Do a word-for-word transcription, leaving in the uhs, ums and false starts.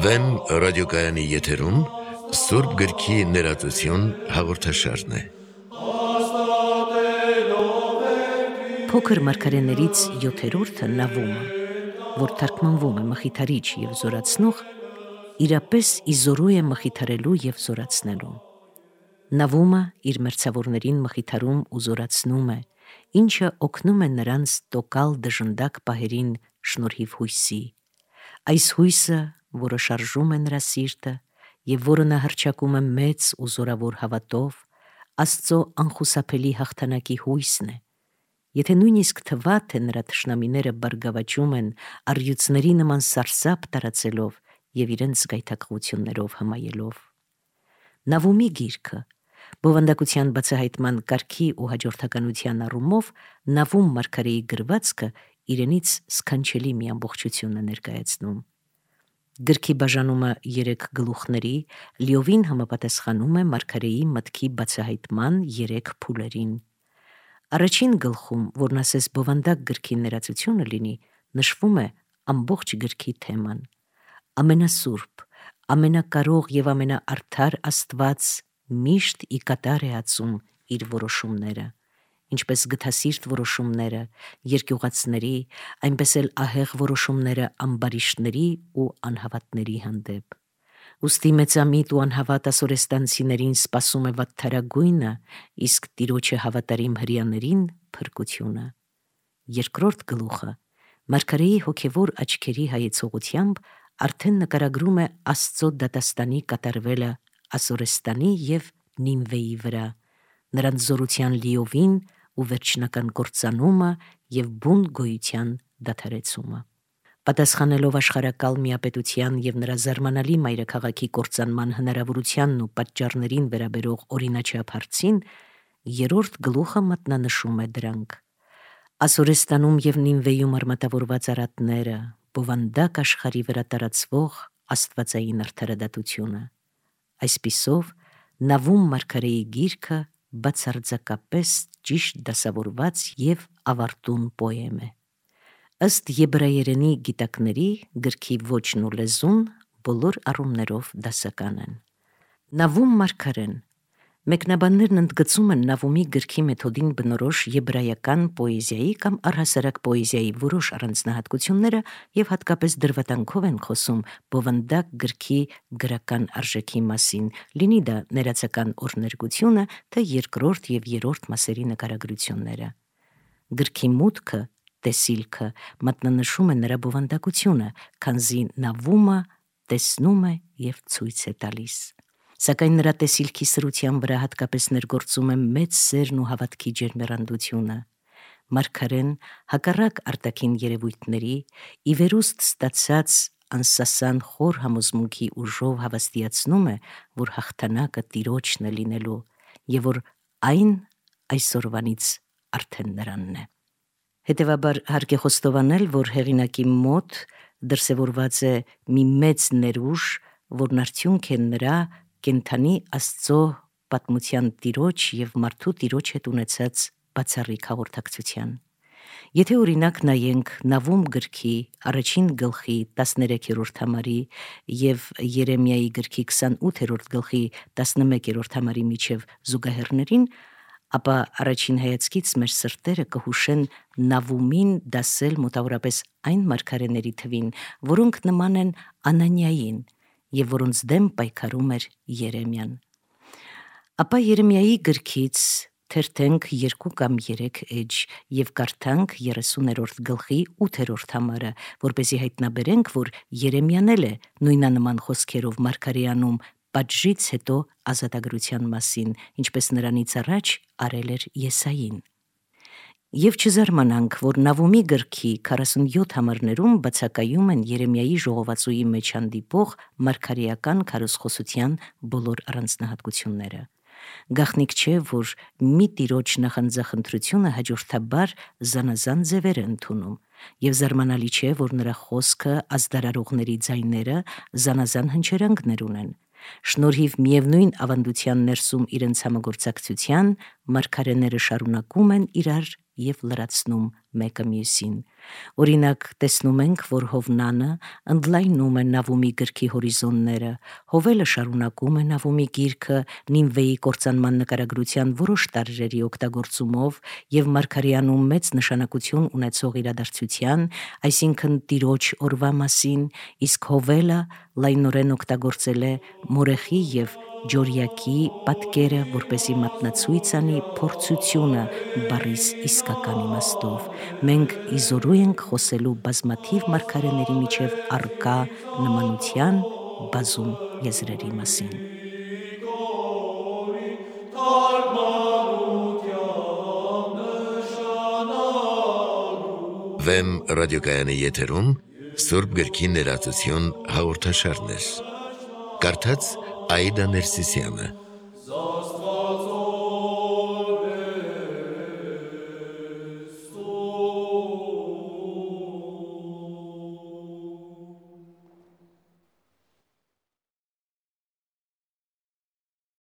Վեմ ռադիոկայանի եթերում Սուրբ գրքի ներածություն հաղորդաշարն է։ Փոքր մարգարեներից յոթերորդը Նավումը, որ թարգմանվում է մխիթարիչ և զորացնող, իրապես իզորու է մխիթարելու և զորացնելու։ Նավումը իր մերձավորներին մխիթարում ու զորացնում է, ինչը օգնում է նրանց տոկալ դժնդակ պահերին շնորհիվ հույսի։ Այս հույսը, որը շարժում է նրա սիրտը և որը նա հռչակում է մեծ ու զորավոր հավատով, Աստծո անխուսափելի հաղթանակի հույսն է։ Եթե նույնիսկ թվա, թե նրա թշնամիները բարգավաճում են առյուծների նման սարսափ տարածելով և իրենց գայթակղություններով հմայելով։ Նավումի գիրքը բովանդակության բացահայտման կարգի ու հաջորդականության առումով Նավում մարգարեի գրվածքը իրենից սքանչելի մի ամբողջություն է ներկայացնում։ Գրքի բաժանումը երեք գլուխների լիովին համապատասխանում է մարգարեի մտքի բացահայտման երեք փուլերին։ Առաջին գլխում, որն ասես բովանդակ գրքի ներածությունը լինի, նշվում է ամբողջ գրքի թեման։ Ամենասուրբ, ամենակարող և ամենաարդար Աստված միշտ ի կատար է ածում իր որոշումները, ինչպես գթասիրտ որոշումները երկյուղածների, այնպես էլ ահեղ որոշումները ամբարիշտների ու անհավատների հանդեպ։ Ուստի մեծամիտ ու անհավատ ասորեստանցիներին սպասում է վատթարագույնը, իսկ Տիրոջը հավատարիմ հրեաներին փրկությունը։ Երկրորդ գլուխը մարգարեի հոգևոր աչքերի հայեցողությամբ արդեն նկարագրում է Աստծո դատաստանի կատարվելը Ասորեստանի և Նինվեի վրա, նրանց զորության լիովին ու վերջնական կործանումը և բուն գոյության դադարեցումը։ Պատասխանելով աշխարհակալ միապետության և նրա զարմանալի մայրաքաղաքի կործանման հնարավորությանն ու պատճառներին վերաբերող օրինաչափ հարցին, երրորդ գլուխը մատնանշում է դրանք։ Ասորեստանում և Նինվեյում արմատավորված արատները, բովանդակ աշխարհի վրա տարածվող աստվածային արդարադատությունը։ Այսպիսով, Նավում մարգարեի գիրքը բացարձակապես ճիշտ դասավորված և ավարտուն պոեմ է։ Ըստ եբրայերենի գիտակների, գրքի ոճն ու լեզուն բոլոր առումներով դասական են։ Նավում մարգարեն մեկնաբաններն ընդգծում են Նավումի գրքի մեթոդին բնորոշ եբրայական պոեզիայի կամ առհասարակ պոեզիայի որոշ առանձնահատկությունները և հատկապես դրվատանքով են խոսում բովանդակ գրքի գրական արժեքի մասին, լինի դա ներածական օրհներգությունը, թե երկրորդ և երրորդ մասերի նկարագրությունները։ Գրքի մուտքը, տեսիլքը մատնանշում է նրա բովանդակությունը, քանզի Նավումը տեսնում է և ցույց է տալիս։ Սակայն նրա տեսիլքի սրության վրա հատկապես ներգործում է մեծ սերն ու հավատքի ջերմեռանդությունը։ Մարգարեն, հակառակ արտաքին երևույթների, ի վերուստ ստացած անսասան խոր համոզմունքի ուժով հավաստիացնում է, որ հաղթանակը Տիրոջն է լինելու և որ այն այսօրվանից արդեն նրանն է։ Հետևաբար հարկ է խոստովանել, որ հեղինակի մոտ դրսևորված է մի մեծ ներուժ, որն արդյունք է նրա կենդանի Աստծո պատմության Տիրոջ և մարդու Տիրոջ հետ ունեցած բացառիկ հաղորդակցության։ Եթե օրինակ նայենք Նավում գրքի առաջին գլխի տասներեքերորդ համարի և Երեմիայի գրքի քսանութերորդ գլխի տասնմեկերորդ համարի միջև զուգահեռներին, ապա առաջին հայացքից մեր սրտերը կհուշեն Նավումին դասել մոտավորապես այն մարգարեների թվին, որոնք նման են Անանիային և որոնց դեմ պայքարում էր Երեմիան։ Ապա Երեմիայի գրքից թերթենք երկու կամ երեք էջ և կարդանք երեսուներորդ գլխի ութերորդ համարը, որպեսզի հայտնաբերենք, որ Երեմիան էլ է նույնանման խոսքերով մարգարեանում պատժից հետո ազատագրության մասին, ինչպես նրանից առաջ արել էր Եսային։ Եվ չզարմանանք, որ Նավումի գրքի քառասունյոթ համարներում բացակայում են Երեմիայի ժողովածուի մեջ հանդիպող մարգարեական քարոզխոսության բոլոր առանձնահատկությունները։ Գաղտնիք չէ, որ մի Տիրոջ նախանձախնդրությունը հաջորդաբար զանազան ձևեր է ընդունում, և զարմանալի չէ, որ նրա խոսքը, ազդարարողների ձայները զանազան հնչերանգներ ունեն։ Շնորհիվ միևնույն ավանդության ներսում իրենց համագործակցության, մարգարեները շարունակում են իրար և լրացնում մեկը մյուսին։ Օրինակ, տեսնում ենք, որ Հովնանը ընդլայնում է Նավումի գրքի հորիզոնները, Հովելը շարունակում է Նավումի գիրքը Նինվեի կործանման նկարագրության որոշ տարրերի օգտագործումով եւ Մարգարյանում մեծ նշանակություն ունեցող իրադարձության, այսինքն Տիրոջ օրվա մասին, իսկ Հովելը լայնորեն օգտագործել է Մորեխի եւ Ջորյակի պատկերը, որպեսզի մատնացույց անի փորձությունը բառիս իսկական իմաստով։ Մենք իզորու ենք խոսելու բազմաթիվ մարգարեների միջև առկա նմանության բազում եզրերի մասին։ Վեմ ռադիոկայանի եթերում Սուրբ գրքի ներածություն հաղորդաշարներ։ Կարդաց Աիդա Ներսիսյանը։